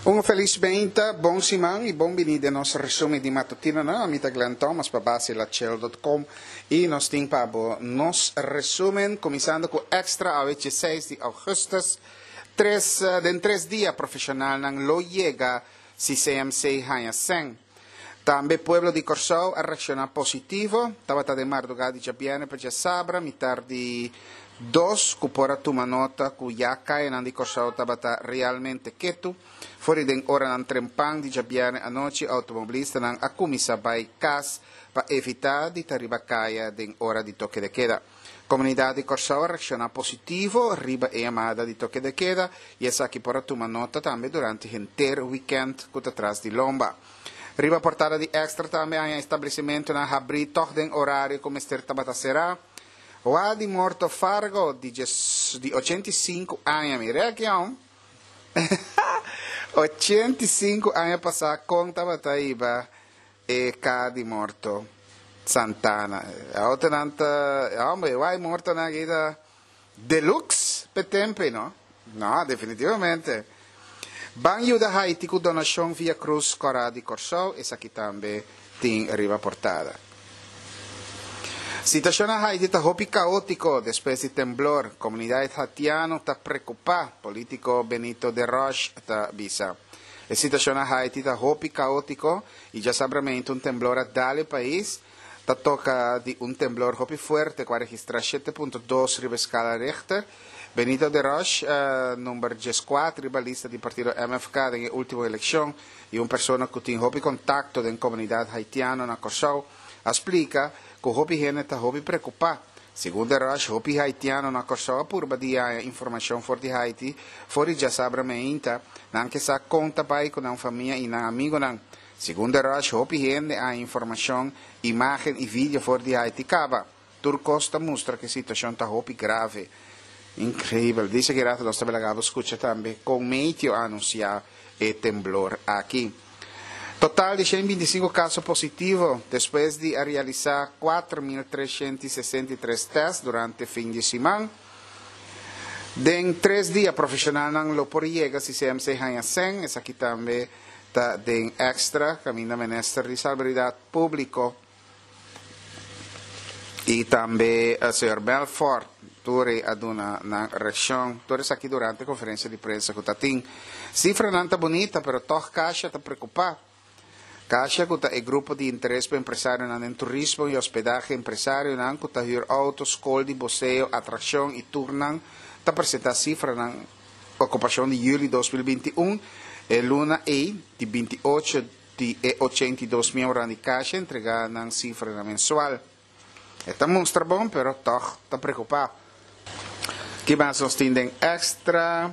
Un felis meinta, bon siman y bon bini den nos resumen di matutinonan. Ami ta Glenn Thomas pa basilachel.com y nos tin pa bo nos resumen cuminsando cu Extra awe 16 di augustus. Tres, den tres dia profesionalnan lo yega si CMC haña sen. Tambe pueblo di Kòrsou a reakshoná positivo. Tabata den mardugá di djabièrnè pa djasabra mitar di dos ku por a tuma nota ku ya kayanan di Kòrsou tabata realmente ketu. For di den oranan trempan di djabièrnè anochi outomobilistanan a kuminsá bai kas pa evitá di ta riba kaya den ora di toke de keda. Komunidat di Kòrsou a reakshoná positivo riba e yamada di toke de keda i esaki por a tuma nota tambe durante henter wikènt ku ta tras di lomba. Riba portada di Extra tambe haña establesimentunan habrí tòg den orario ku mester tabata será. Wa di morto Fargo di djes di 85 aña mira aki aun 85 aña pasá kon tabata hiba E ka di morto Santana. E autonan ta, hombre, e wai mortonan aki ta deluxe p'e tempo ei, no? No, definitivamente. Ban yuda Haiti ku donashon via Krus Kòrá di Kòrsou, esaki tambe tin riba portada. Situashon na Haiti ta hopi kaótiko despues di temblor. Komunidat hatiano ta prekupá, polítiko Benito Deroche ta bisa. E situacion na Haiti ta hopi caotico y djasabramente un temblor a dal e pais. Ta toca di un temblor hopi fuerte cu a registra 7.2 riba escala Richter. Benito Deroche, number 14 riba lista di partido MFK den e ultimo eleccion y un persona cu tin hopi contacto den comunidad Haitiano na Corsou, a splica cu hopi hende ta hopi preocupa. Segun Deroche, hopi haitiano na Kòrsou a purba di haña informashon for di Haiti for di djasabra meinta, nan ke sa kon ta bai ku nan famia i nan amigunan. Segun Deroche, hopi hende a haña informashon, imágen i video for di Haiti kaba. Tur kos ta mustra ku e situashon ta hopi grave. Inkreibel. Dice ki rato nos ta belaga bo skucha tambe kon Meteo a anunsiá e temblor aki. Total di 125 kaso positivo despues di a realisá 4.363 tèst durante fin di siman. Den tres dia profeshonalnan lo por yega si CMC haña sèn, esaki tambe ta den Extra kaminda Minister di Salubridad Públiko i tambe señor Belfort tur e a duna nan reakshon. Tur esaki durante konferensia di prensa ku ta tin. Sifranan ta bunita pero tòg Kasha ta preokupá. Kasha ku ta e grupo di interes pa empresarionan den turismo i hospedahe, empresarionan ku ta hür outo, skol di boseo, atrakshon i turnan ta presentá sifranan okupashon di yüli 2021, e luna ei di 28 Di e 82 miembronan di Kasha entregá nan sifranan mensual. E ta mustra bon, pero tòg ta preokupá. Ki mas nos tin den Extra?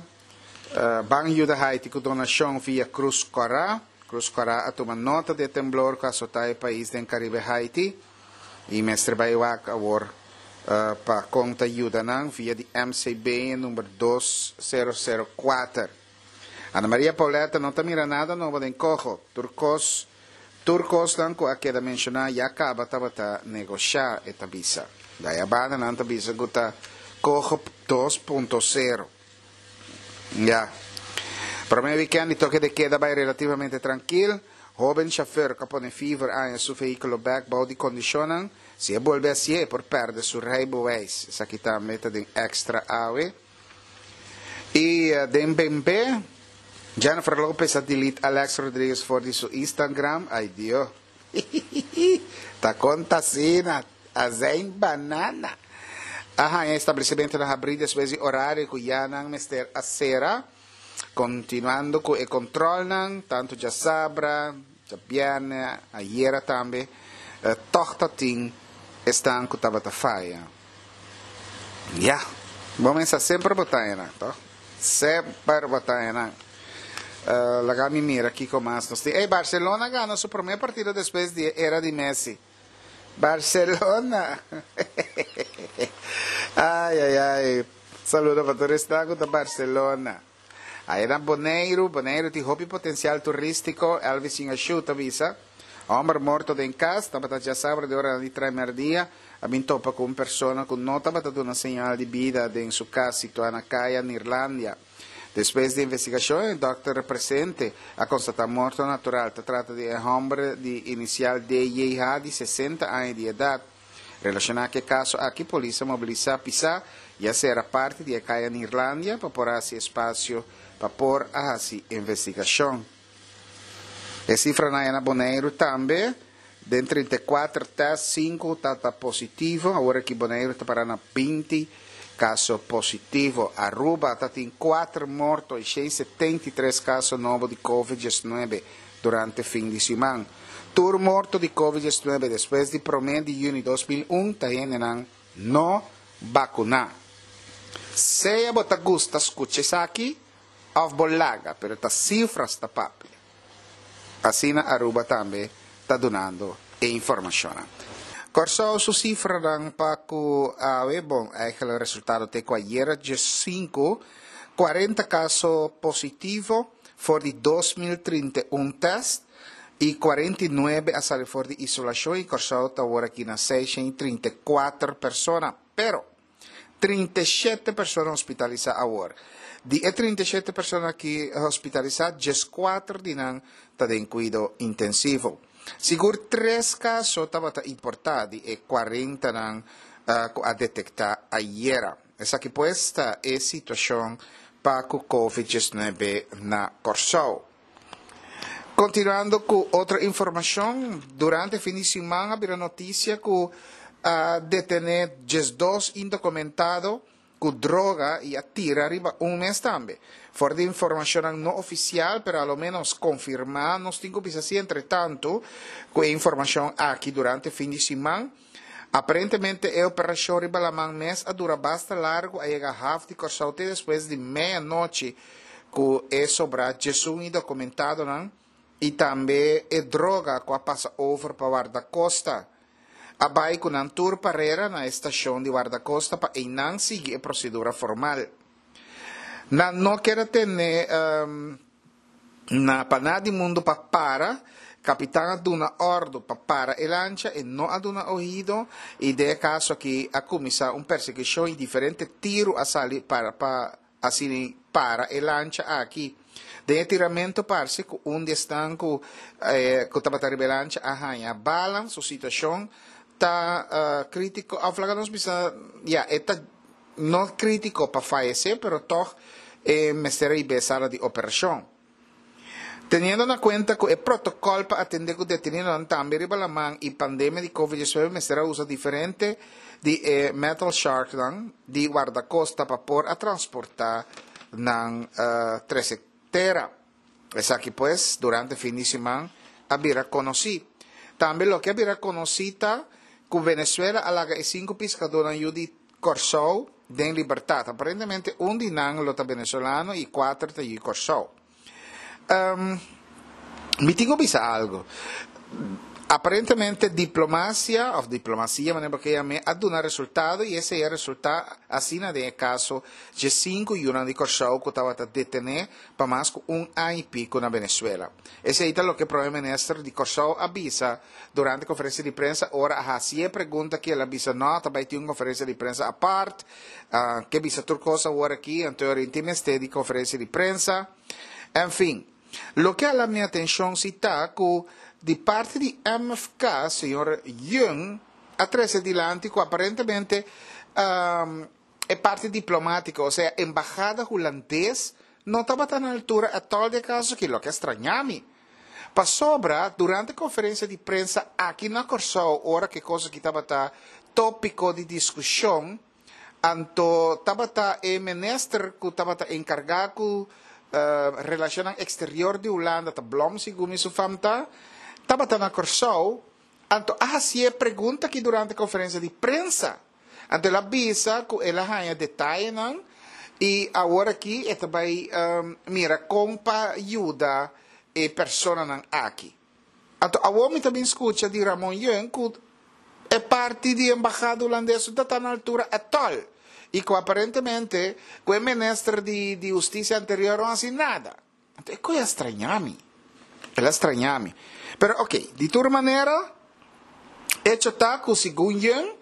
Ban yuda Haiti ku donashon via Krus Kòrá. Krus Kòrá a tuma nota di e temblor ku a asotá e pais den Karibe Haiti i mester bai wak awor pa kon ta yuda nan via di MCB e number 2004. Ana Maria Pauletta no ta mira nada nobo den Coho. Tur kos tur kosnan ku a keda menshoná ya kaba tabata negoshá, e ta bisa. Daya banda nan ta bisa ku ta Coho 2.0. Ya. Promé wikènt di toke de keda bai relativamente trankil. Hóben shofèr ku a pone fever aña su vehíkulo bèk bou di kondishonnan. Si e bolbe hasié e por pèrdè su rijbewijs. Esaki tambe ta den Extra awe. Y den BNP, Jennifer Lopez a delete Alex Rodriguez for di su Instagram. Ay Dios. Ta conta asina. Azijn banana. A haña establecimentonan habrí despues di horario cu ya nan mester a cera. Continuando cu e controlnan, tanto djasabra, djabierne, ayera tambe, toch ta tin esnan cu tabata faya. Ya, bo mester semper bo ta enan, toch? Semper bo ta enan. Uh, laga mi mira kiko mas nos tin. Ey, Barcelona gana su primer partido despues di e era di Messi. Barcelona! Ay, ay, ay. Saludo pa tur esnan ku ta Barcelona. Aya na Boneiru, Boneiru tin hopi potensial turístiko, Elvis Ingashu ta bisa. Hòmber morto den kas, tabata djasabra di oranan di trai mèrdia, a bin topa ku un persona ku no tabata duna señal di bida den su kas situá na Kaya Neerlandia. Despues di investigashon e dòkter presente a konstatá morto natural. Ta trata di e hòmber di inisial DJH di 60 aña di edat. Relashoná ku e kaso aki polis a mobilisá pisá i a sera parti di e kaya Neerlandia pa por hasi espasio pa por a hasi investigashon. E sifranan ya na Boneiru tambe, den 34 tèst sinku ta ta positivo, awor aki Boneiru ta pará na 20 kaso positivo. Aruba ta tin kuater morto i 173 kaso nobo di Covid 19 durante fin di siman. Tur morto di Covid 19 despues di promé di yüni 2001 ta hendenan no bakuná. Sea bo ta gusta skucha esaki òf bo laga, pero ta sifras ta papia. Asina Aruba tambe ta dunando e informashonnan. Kòrsou su sifranan pa ku awe, bon, eigenlijk resultado te ku ayera 15, 40 kaso positivo for di 2031 tèst i 49 a sali for di isolashon i Kòrsou ta awor aki na 634 persona. Pero, 37 persona hospitalisá awor. Di e 37 persona aki hospitalisá, 14 di nan ta den kuido intensivo. Sigur tres kaso tabata importá di e 40 nan ku a detektá ayera. Esaki pues ta e situashon pa ku Covid 19 na Kòrsou. Kontinuando ku otro informashon, durante fin di siman a bira notisia ku a detené 12 indokumentado ku droga i a tira riba un mes tambe. For di informashonnan no ofisial, pero a lo ménos konfirmá, nos tin ku bisa si entretantu ku e informashon aki durante fin di siman, aparentemente e operashon riba laman mes a dura basta largu, a yega haf di Kòrsou te despues di meianochi ku e sobrá 11 indokumentadonan i tambe e droga ku a pasa over pa Wardakosta. A bai ku nan tur parera na e stashon di Wardakosta pa einan sigui e prosedura formal. Nan no keda tene na pa nada di mundu pa para, kapitan a duna òrdu pa para e lancha, e no a duna oido i den e kaso aki a kuminsá un persekushon i diferente tiru a sali para pa asina para e lancha aki. Den e tiramento parse ku un di esnan ku ku tabata riba e lancha a haña bala, su situashon ta krítiko òf laga nos bisa ya e ta no krítiko pa fayesé pero tòg e mester a hib'é sala di operashon. Teniendo na kuenta ku e protokòl pa atendé ku detenidonan tambe riba laman i pandemia di Covid 19 mester a usa diferente di e metal sharknan di wardakosta pa por a transportá nan trese tera. Esaki pues durante fin di siman a bira konosí. Tambe loke a bira konosí ta ku Venezuela a laga e sinku piskadónan yu di Kòrsou den libertat. Aparentemente un di nan lo ta venezolano i kuater ta yu Kòrsou. Mi tin ku bisa algu. Aparentemente diplomasia òf diplomasia manera bo ke yam'é a duna resultado i esei a resultá asina den e kaso dje sinku yunan di Kòrsou ku tabata detené pa mas ku un aña i piku na Venezuela. Esei ta loke Prome Minister di Kòrsou a bisa durante konferensia di prensa ora a hasi e pregunta aki el a bisa no ta bai tin un konferensia di prensa apart, ke bisa tur kos awor aki anto e tin mester di konferensia di prensa. En fin, loke a hala mi atenshon si ta ku di parti di MFK señor Yeung a trese dilanti ku aparentemente e parti diplomátiko, osea embahada hulandes no tabata na altura atòl di e kaso aki, loke a straña mi. Pasobra durante konferensia di prensa aki na Kòrsou ora ku e kos aki tabata tópiko di diskushon, anto tabata e minister ku tabata enkargá ku relashonnan eksterior di Hulanda, ta Blom segun mi su fam ta, tabata na Kòrsou, anto a hasié pregunta aki durante konferensia di prensa. Anto el a bisa ku el a haña detayenan i awor aki e ta bai mira kon pa yuda e personanan aki. Anto awor mi ta bin skucha di Ramon Yeung ku e parti di embahada hulandes no ta ta na altura atòl i ku aparentemente ku e minister di di hustisia anterior no hasi nada. Anto e koe a strañá mi. El a strañá mi. Pero oké, di tur manera, echo ta ku segun Yeung,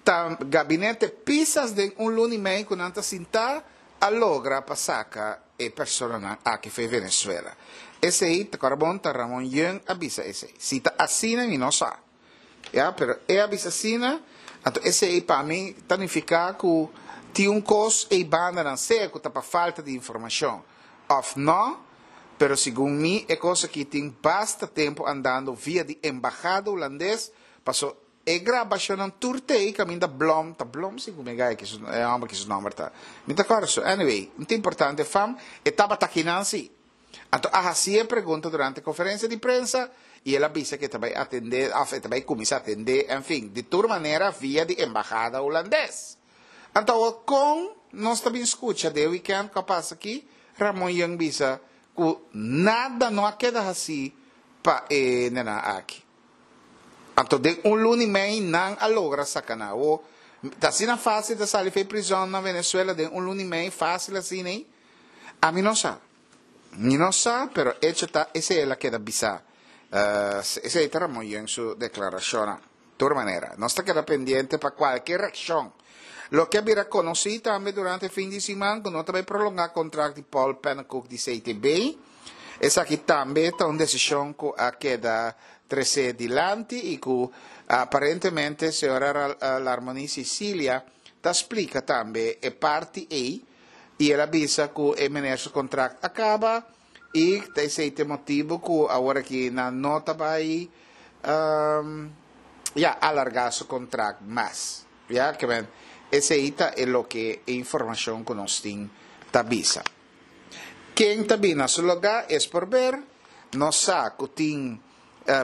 ta gabinete Pisas den un luna i mei ku nan ta sintá, a logra pa saka e personanan aki fo'i Venezuela. Esei ta kòrda bon ta Ramon Yeung a bisa esei. Si ta asina mi no sa. Ya, pero e a bisa asina, anto esei pa mi ta nifiká ku tin un kos ei bandanan, sea ku ta pa falta di informashon òf nò, pero segun mi e kos aki tin basta tempu andando via di embahada hulandes, paso e grabashonnan tur t'ei kaminda Blom, ta Blom segun mi e gai aki su, e hòmber aki su nòmber ta, mi ta kòrda su, anyway, no ta importante fam, e tabata akinan si. Anto a hasi e pregunta durante konferensia di prensa i el a bisa ku e ta bai atendé òf e ta bai kuminsá atendé, enfin, di tur manera via di embahada hulandes. Anto awor kon nos ta bin skucha den wikènt ku a pasa aki, Ramon Yeung bisa ku nada no a keda hasí pa e nenan aki. Anto den un luna i mei nan a logra saka nan. Awor ta asina fásil ta sali for e prizòn na Venezuela den un luna i mei, fásil asina ei? Ami no sa. Mi no sa, pero echo ta esei el a keda bisa. Esei ta Ramon Yeung su deklarashonnan. Tur manera, nos ta keda pendiente pa kualke reakshon. Loke a bira konosí tambe durante fin di siman ku no ta bai prolongá kontrakt di Paul Pennekoek di CTB. Esaki tambe ta un desishon ku a keda tresé dilanti i ku aparentemente señora Larmonie Cicilia ta splika tambe e parti ei. I el a bisa ku e meneer su kontrakt a kaba i ta esei ta e motibu ku awor aki nan no ta bai ya alargá su kontrakt mas. Ya ke men esei ta e loke e informashon ku nos tin ta bisa. Ken ta bini na su lugá es por ber. Nos sa ku tin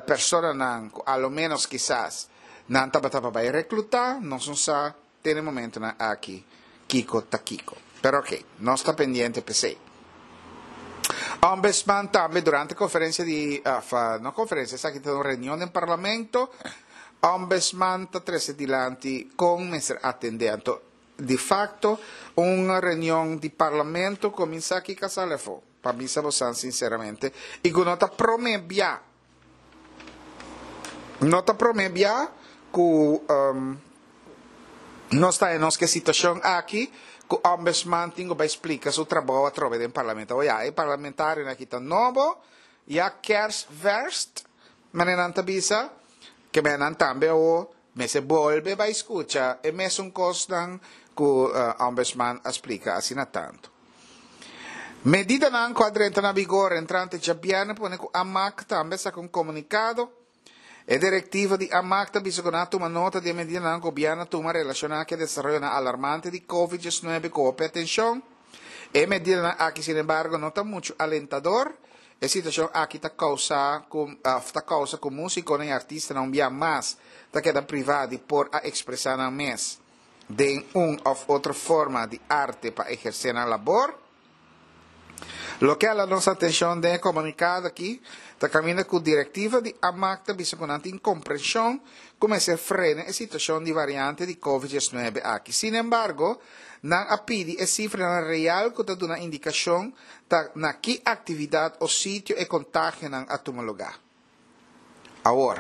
personanan ku a lo ménos kisas nan tabata pa bai reklutá, nos no sa. Te na e momentonan aki kiko ta kiko. Pero oke, nos ta pendiente p'esei. Ombudsman tambe durante konferensia di, òf no konferensia, esaki ta un reunion den parlamento, Ombudsman ta trese dilanti kon mester atendé. Anto, di fakto, un reunion di parlamento kuminsá aki kasal afó, pa bisa bosan sinseramente, i ku no ta promé bia. No ta promé bia ku nos ta den nos ke situashon aki ku Ombudsman tin ku bai splika su trabou atrobe den parlamento. Oya, e parlamentarionan aki ta nobo, ya kersverst, manera nan ta bisa, ke men nan tambe awor mester bolbe bai skucha e mesun kosnan ku Ombudsman a splika asina tantu. Medidanan ku a drenta na vigor entrante djabièrnè pone ku Amak tambe a saka un komunikado. E direktiva di Amak ta bisa ku nan a tuma nota di e medidanan ku gobièrnu a tuma relashoná ku e desaroyonan alarmante di Covid diesnuebe ku hopi atenshon. E medidanan aki sinembargo no ta muchu alentador. E situashon aki ta kousa ku òf ta kousa ku músikonan i artistanan un bia mas ta keda privá di por a ekspresá nan mes. den un of otro forma di arte pa ehersé nan labor. Loke a la nos atenshon den e komunikado aki ta kaminda ku direktiva di Amak ta bisa ku nan tin komprenshon ku mester frena e situashon di variante di Covid diesnuebe aki. Sinembargo, nan a pidi e sifranan real ku ta duna indikashon ta na ki aktividat o sitio e kontagionan a tuma lugá. Awor,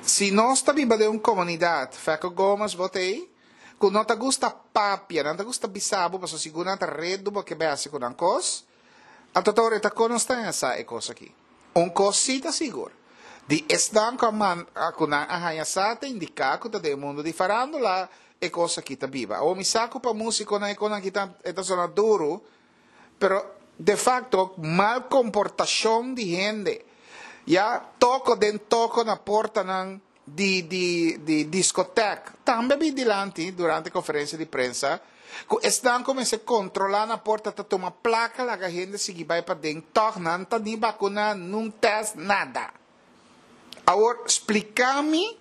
si nos ta biba den un komunidat, Fekko Gomez bo ta ei, ku no ta gusta papia, nan ta gusta bisa bo pasobra sigur nan ta redu bo ke bai hasi ku nan kos, anto ta ora e ta kon nos ta haña sa e kos aki. Un kos sí ta sigur, di esnan ku a manda ku nan a haña sa ta indiká ku ta den e mundu di farándula e kos aki ta biba. Awor mi sa ku pa músikonan e kosnan aki ta e ta sona duru, Pero de facto mal comportacion di hende ya toco den toco na portanan di di di discoteca tambe a bin dilanti durante conferencia di prensa cu esnan cu mester controla na porta ta tuma placa laga hende sigui bay paden tog nan ta ni vacuna nun test nada. Awor splica mi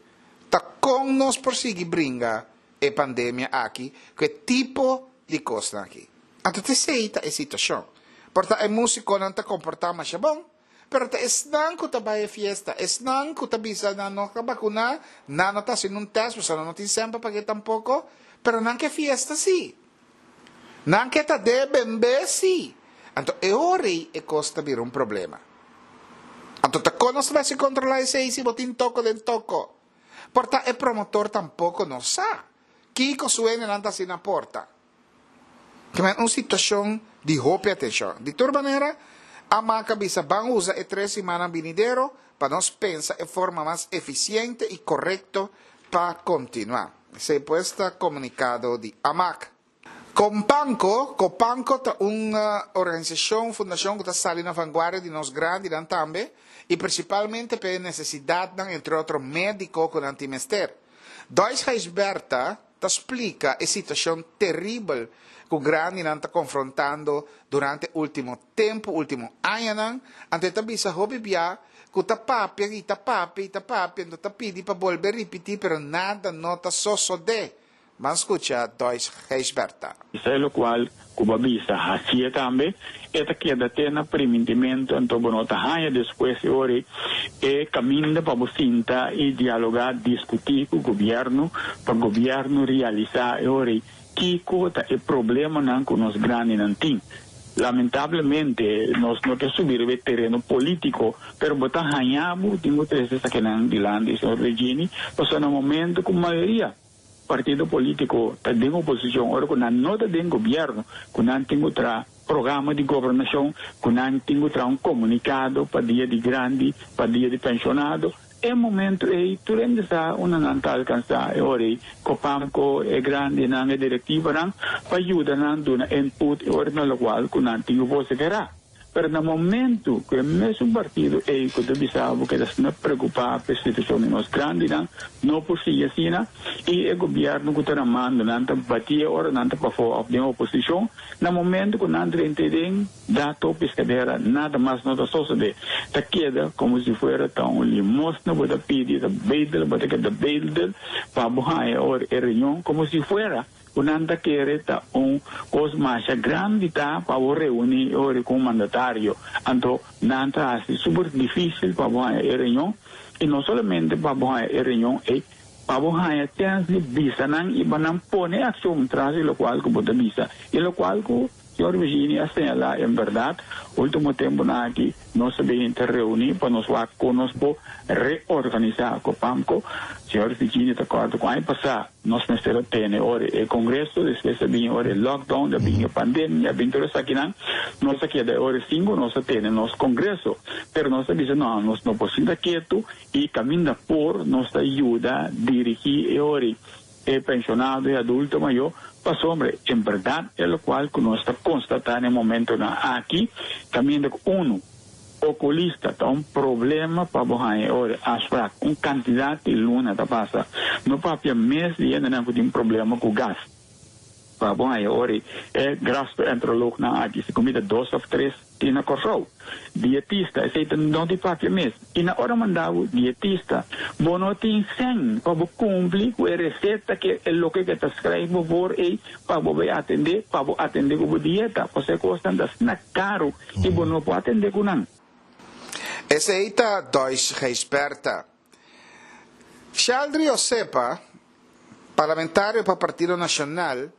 ta con nos por sigui bringa e pandemia aki ku e tipo di kosnan aki. Anto ta esei ta e situashon. Por ta e músikonan ta komportá masha bon, pero ta esnan ku ta bai e fiesta, esnan ku ta bisa nan no ta bakuná, nan no ta hasi nun tèst pasobra nan no tin sèn pa pag'é tampoko, pero nan ke fiesta sí. Nan ke ta den bembé sí. Anto e ora ei e kos ta bira un problema. Anto ta kon nos ta bai hasi kontrolá esei si bo tin toko den toko? Por ta e promotor tampoco no sa kico su hendenan ta haci na porta. Ke men un situashon di hopi atenshon. Di tur manera, Amak a bisa ban usa e tres simannan binidero pa nos pensa e forma mas efisiente i korekto pa kontinuá. Esei pues ta komunikado di Amak. Kompanko, Kopanko ta un organisashon, fundashon ku ta sali na vanguardia di nos grandinan tambe i prinsipalmente pa e nesesidatnan entre otro médiko ku nan tin mester. Dois Gijsbertha ta splika e situashon teribel ku grandinan ta konfrontando durante último tempu, último añanan, anto e ta bisa hopi bia ku ta papia i ta papia i ta papia, anto ta pidi pa bolbe ripití pero nada no ta sosodé. Ban skucha Dois Gijsbertha. Esei lokual ku bo a bisa hasié tambe, e ta keda te na primintimentu, anto bo no ta haña despues e ora ei e kaminda pa bo sinta i dialogá, diskutí ku gobièrnu, pa gobièrnu realisá e ora ei kiko ta e problemanan ku nos grandinan tin. Lamentablemente nos no ke subi riba e tereno polítiko, pero bo ta haña bo tin ku trese esakinan dilanti, señor Regini, pasobra na momento ku mayoria. Partido politico ta den oposicion ora cu nan no ta den gobierno, cu nan tin cu traha programa di gobernacion, cu nan tin cu traha un comunicado pa dia di grandi, pa dia di pensionado. E momento ey tur hende sa unda nan ta alcansa e ora ey Copamco, e grandinan, e directivanan pa yuda nan duna input e ora na locual cu nan tin cu vocifera. Pero na momento cu e mesun partido ey cu ta bisa bo keda asina preocupa pa e situacion di nos grandinan no por sigui asina y e gobierno cu ta na mando nan ta bati e ora nan ta pafo of den oposicion, na momento cu nan drenta den dato piscadera nada mas no ta sosode, ta keda como si fuera ta un limosna bo ta pidi, ta bedel, bo ta keda bedel pa bo haya ora e reunion como si fuera. Ku nan ta kere ta un kos masha grandi ta pa bo reuní e ora ku un mandatario. Anto nan ta hasi super difísil pa bo haña e reunion, i no solamente pa bo haña e reunion ei, pa bo haña chèns di bisa nan i pa nan pone akshon tras di lokual ku bo ta bisa. I lokual ku Señor Virginie a señalá en bèrdat, último tempunan aki nos ta bin ta reuní pa nos wak kon nos por reorganisá Copamco. Señor Virginie ta kòrda ku aña pasá nos mester a tene ora e kongreso, despues a bin ora e lockdown, a bin e pandemia, a bin tur esakinan. Nos a keda e ora sin ku nos a tene nos kongreso. Pero nos a bisa no, nos no por sinta ketu i kaminda por nos ta yuda dirigí e ora. E pensionado y adulto mayor, pasobra en berdad e locual cu nos ta constata na e momentonan aki ta miende cu uno, oculista ta un problema pa bo haña e ora afspraak, un cantidad di luna ta pasa, no papia mes di hendenan cu tin problema cu gas pa bo haña e ora e gastroenteroloognan aki si cu mi ta dos of tres. Tin na Kòrsou. Dietista, esei ta no di papia mes. I na ora manda bo dietista, bo no tin sèn pa bo kumpli ku e reseta ke e loke ke ta skrijf bo voor ei pa bo bai atendé, pa bo atendé ku bo dieta. Pasobra e kosnan ta asina karu i bo no por atendé ku nan. Esei ta Dois Gijsbertha. Sheldry Osepa, parlamentario pa Partido Nacional,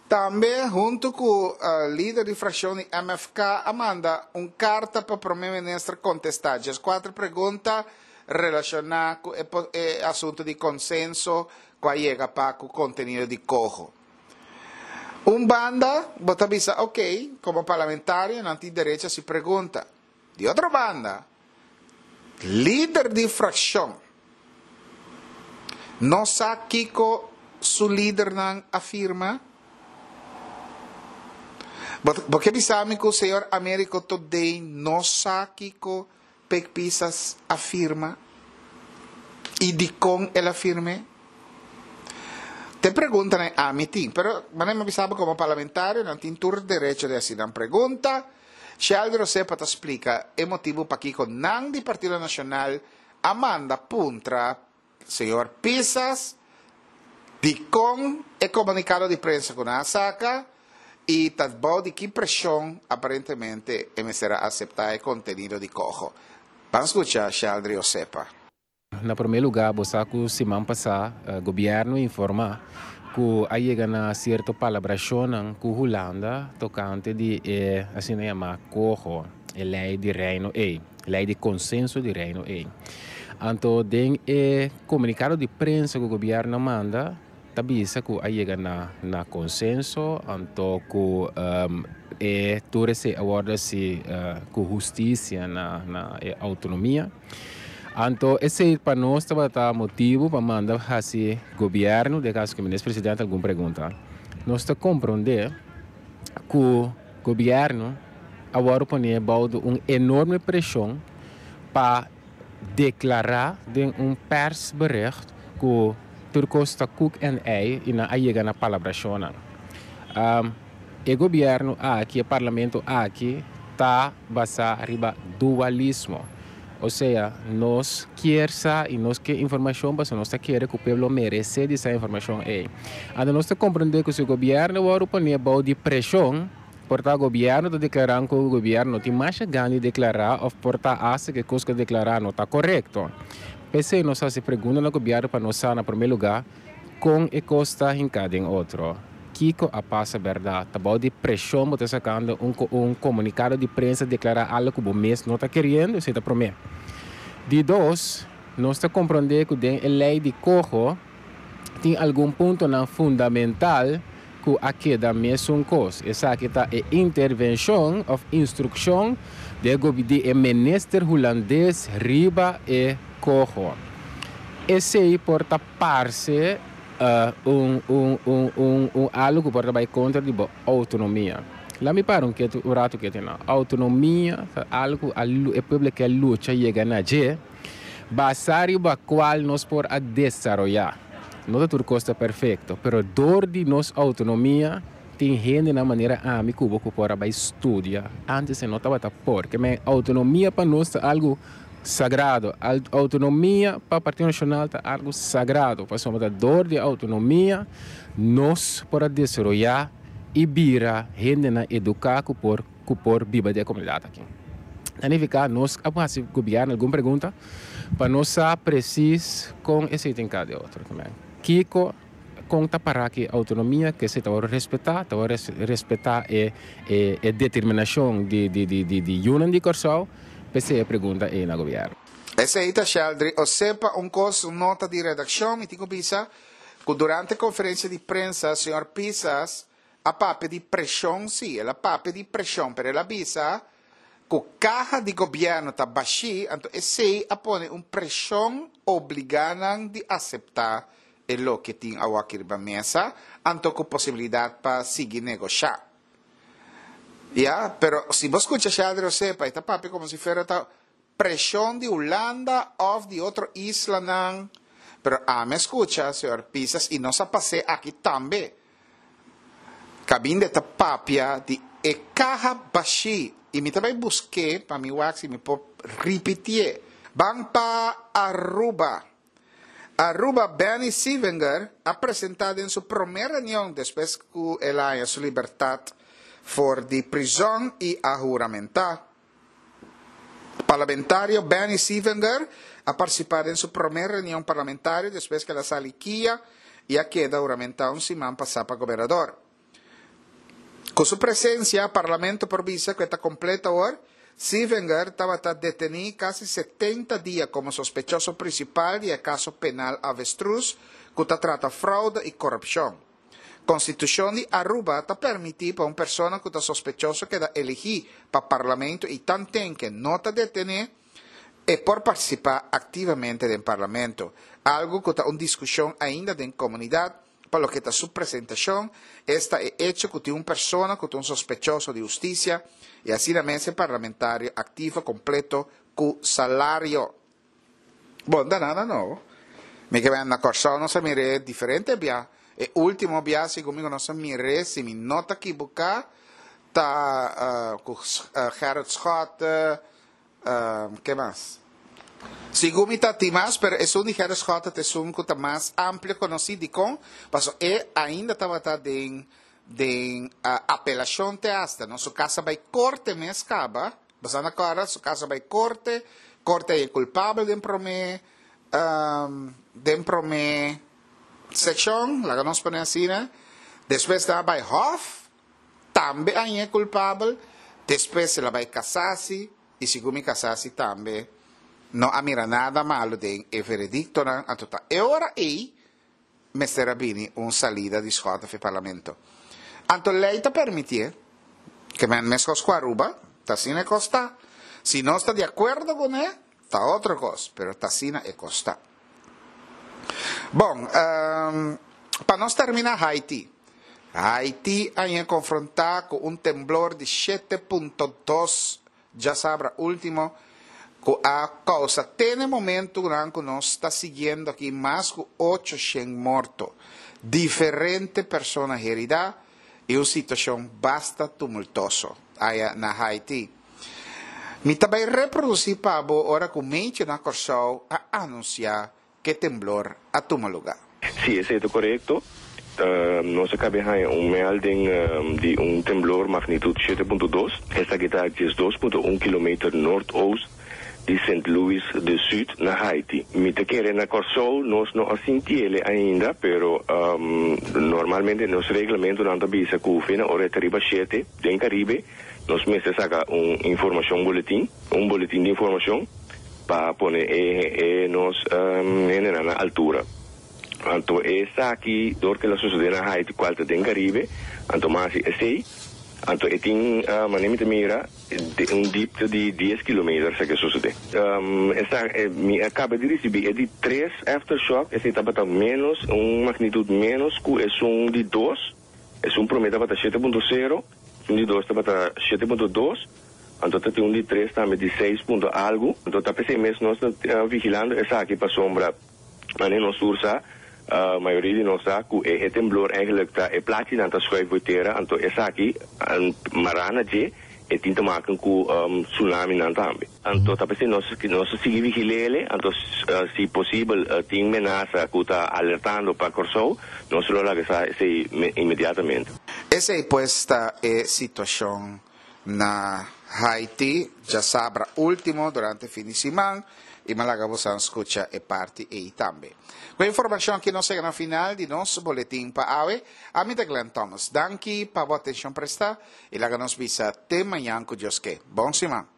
Tambe huntu ku lider di frakshon di MFK a manda un karta pa Prome Minister kontestá dieskuater pregunta relashoná ku e asuntu di konsenso ku a yega pa ku kontenido di koho. Un banda bo ta bisa ok, komo parlamentario nan tin derecho hasi pregunta. Di otro banda, lider di frakshon no sa kiko su lidernan a firma? Bo, bo ke bisa mi ku señor Americo Todey no sa kiko Pek Pisas a firma i dikon el a firm'é? Te preguntanan ami tin, pero manera mi a bisa bo komo parlamentario nan tin tur derecho di hasi nan pregunta. Sheldry Osepa ta splika e motibu pakiko nan di Partido Nacional a manda puntra señor Pisas dikon e komunikado di prensa ku nan a saka i ta bou di ki preshon aparentemente e mester a aseptá e kontenido di koho. Ban skucha Sheldry Osepa. Na promé lugá bo sa ku siman pasá gobièrnu informá ku a yega na sierto palabrashonnan ku Hulanda tokante di e asina yamá koho, e lei di Reino ei, lei di konsenso di Reino ei. Anto den e komunikado di prensa ku gobièrnu a manda. Ta bisa ku a yega na na konsenso anto ku e tur esei a wòrdu hasi ku hustisia na na e outonomia. Anto esei pa nos tabata motibu pa manda hasi gobièrnu, den kaso ku minister presidente algun pregunta. Nos ta komprondé ku gobièrnu a wòrdu pone bou di un enorme preshon pa deklará den un persbericht ku tur kos ta kuk en ei i nan a yega na palabrashonnan. E gobièrnu aki, e parlamento aki ta basá riba dualismo. Osea, nos kier sa i nos ke informashon pasobra nos ta kere ku pueblo meresé di sa informashon ei. Anto nos ta komprendé ku si gobièrnu wòrdu poné bou di preshon, Por ta gobierno ta declara cu gobierno no tin masha gana di declara of por ta hasta cu e cos cu a declara no ta corecto. P'esey nos haci pregunta na gobierno pa nos sa na prome lugar con e cos ta hinca den otro. Kico a pasa berdad? Ta bao di presion bo ta sacando un un comunicado di prensa declara algo cu bo mes no ta keriendo? Esey ta prome. Di dos, nos ta compronde cu den e ley di coho tin algun puntonan fundamental ku a keda mesun kos. Esaki ta e intervenshon òf instrukshon di e di e minister hulandes riba e koho. Esei por ta parse un un un un un algu ku por ta bai kontra di bo outonomia. Laat mi para un ketu un ratu ketu nan. Outonomia ta algu ku a e pueblo ke a lucha yega na dje. Basá riba kual nos por a desaroyá. No ta tur kos ta perfekto, pero dor di nos outonomia tin hendenan manera ami ku bo ku por a bai studia. Ántes e no tabata por. Ke men outonomia pa nos ta algu sagrado. Outonomia pa Partido Nashonal ta algu sagrado, pasobra ta dor di e outonomia nos por a desaroyá i bira hendenan eduká ku por ku por biba den e komunidat aki. Ta nifiká nos a hasi gobièrnu algun pregunta pa nos sa presis kon esei tin ka di otro. Kiko, kon ta pará ki outonomia ku esei ta wòrdu respetá, ta wòrdu respetá e e determinashon di di di di yunan di Kòrsou? P'esei e pregunta ei na gobièrnu. Esei ta Sheldry Osepa un kos un nota di redakshon mi tin ku bisa ku durante konferensia di prensa señor Pisas a papia di preshon, sí, el a papia di preshon, pero el a bisa ku kaha di gobièrnu ta bashí, anto esei a pone un preshon obligá nan di aseptá e loke tin awaki riba mesa, anto ku posibilidat pa sigui negoshá. Ya, pero si bo skucha Sheldry Osepa, e ta papia komo si fuera ta Preshon di Hulanda of di otro islanan, pero ami a skucha señor Pisas i nos a pas'é aki tambe. Kabinde ta papia di e kaha bashí i mi ta bai busk'é pa mi wak si mi por ripitié. Ban pa Aruba. Aruba Benny Sievinger a presentá den su promé reunion despues ku el a haña su libertat for di prizòn i a huramentá. Parlamentario Benny Sievinger a partisipá den su promé reunion parlamentario despues ku el a sali kia i a keda huramentá un siman pasá pa gobernador. Ku su presensia, parlamento por bisa ku e ta kompleto awor. Sievinger tabata detení kasi 70 dia komo sospechoso prinsipal di e kaso penal Avestruz ku ta trata froude i korupshon. Constitucion di Aruba ta permiti pa un persona cu ta sospechoso keda eligi pa Parlamento y tanten ke no ta detene, e por participa activamente den Parlamento. Algo cu ta un discusion ainda den comunidad pa loke ta su presentacion, esta e hecho cu tin un persona cu ta un sospechoso di husticia y asina mes e parlamentario activo completo cu salario. Bon, ta nada nobo. Mi ke na Kòrsou nos a mir'é diferente bia. E último bia segun mi ku nos a mir'é, si mi no ta kibuká, ta ku Gerrit Schotte, ke mas? Segun mi ta tin mas, pero esun di Gerrit Schotte ta esun ku ta mas amplio konosí. Dikon? Pasobra e ainda tabata den den apelashon te asta, no? Su kas a bai korte mes kaba. Boso a kòrda su kaso bai korte, korte a haña kulpabel den promé den promé sekshon, laga nos pone asina, despues nan a bai hòf, tambe a hañ'é kulpabel, despues el a bai kasasi i segun mi kasasi tambe no a mira nada malu den e verediktonan, anto ta e ora ei. mester a bini un salida di Schotte for parlamento. Anto lei ta permitié, ke men meskos ku Aruba, ta asina e kos ta. Si nos ta di akuerdo kuné, ta otro kos, pero ta asina e kos ta. Bon, pa nos terminá Haiti. Haiti a ña konfrontá ku un temblor di 7.2 djasabra último ku a kousa te na e momentunan ku nos ta siguiendo aki mas ku 800 morto, diferente persona heridá i un situashon basta tumultoso aya na Haiti. Mi ta bai reprodusí pa bo ora ku Meitje na Kòrsou a anunsiá Ke temblor a tuma lugá? Sí, esei ta korekto. Nos a kabe haña un melding di un temblor magnitut 7.2. Esaki ta 12.1 kilometer noordoost di Sint Louis de Sud na Haiti. Mi ta kere na Kòrsou nos no a sintiele ainda, pero normalmente nos reglamentonan ta bisa ku fe na ora e ta riba shete den Karibe nos mester saka un informashon boletin, un boletin di informashon. Pa pone e nos hendenan na altura. Anto esaki dor ke la sosode na Haiti kual ta den Karibe, anto mas hasi esei, anto e tin manera mi ta mira un dipte di dies kilometer sa ke sosode. Esa mi a kaba di risibi e di tres aftershock, esei tabata menos un magnitut menos ku esun di dos, esun prome tabata 7.0, esun di dos tabata 7.2. Anto ta tin un di tres tambe di seis punto algu. Anto ta p'esei mes nos ta vigilando esaki pasobra manera nos tur sa, mayoria di nos sa ku e temblor eigenlijk ta e plachinan ta schuif bo tera anto esaki mará na dje e tin te maken ku tsunaminan tambe. Anto ta p'esei nos nos ta sigui vigil'ele anto si posibel tin menasa ku ta alertando pa Kòrsou nos lo laga sa esei inmediatamente. Esei pues ta e situashon na Haiti djasabra ultimo durante fin di siman y mi a laga bosan scucha e parti ey tambe. Cu e informacion aki nos yega na final di nos boletin pa awe. Ami ta Glenn Thomas. Danki pa bo atencion presta y laga nos bisa te mañan cu Dios ke. Bon siman.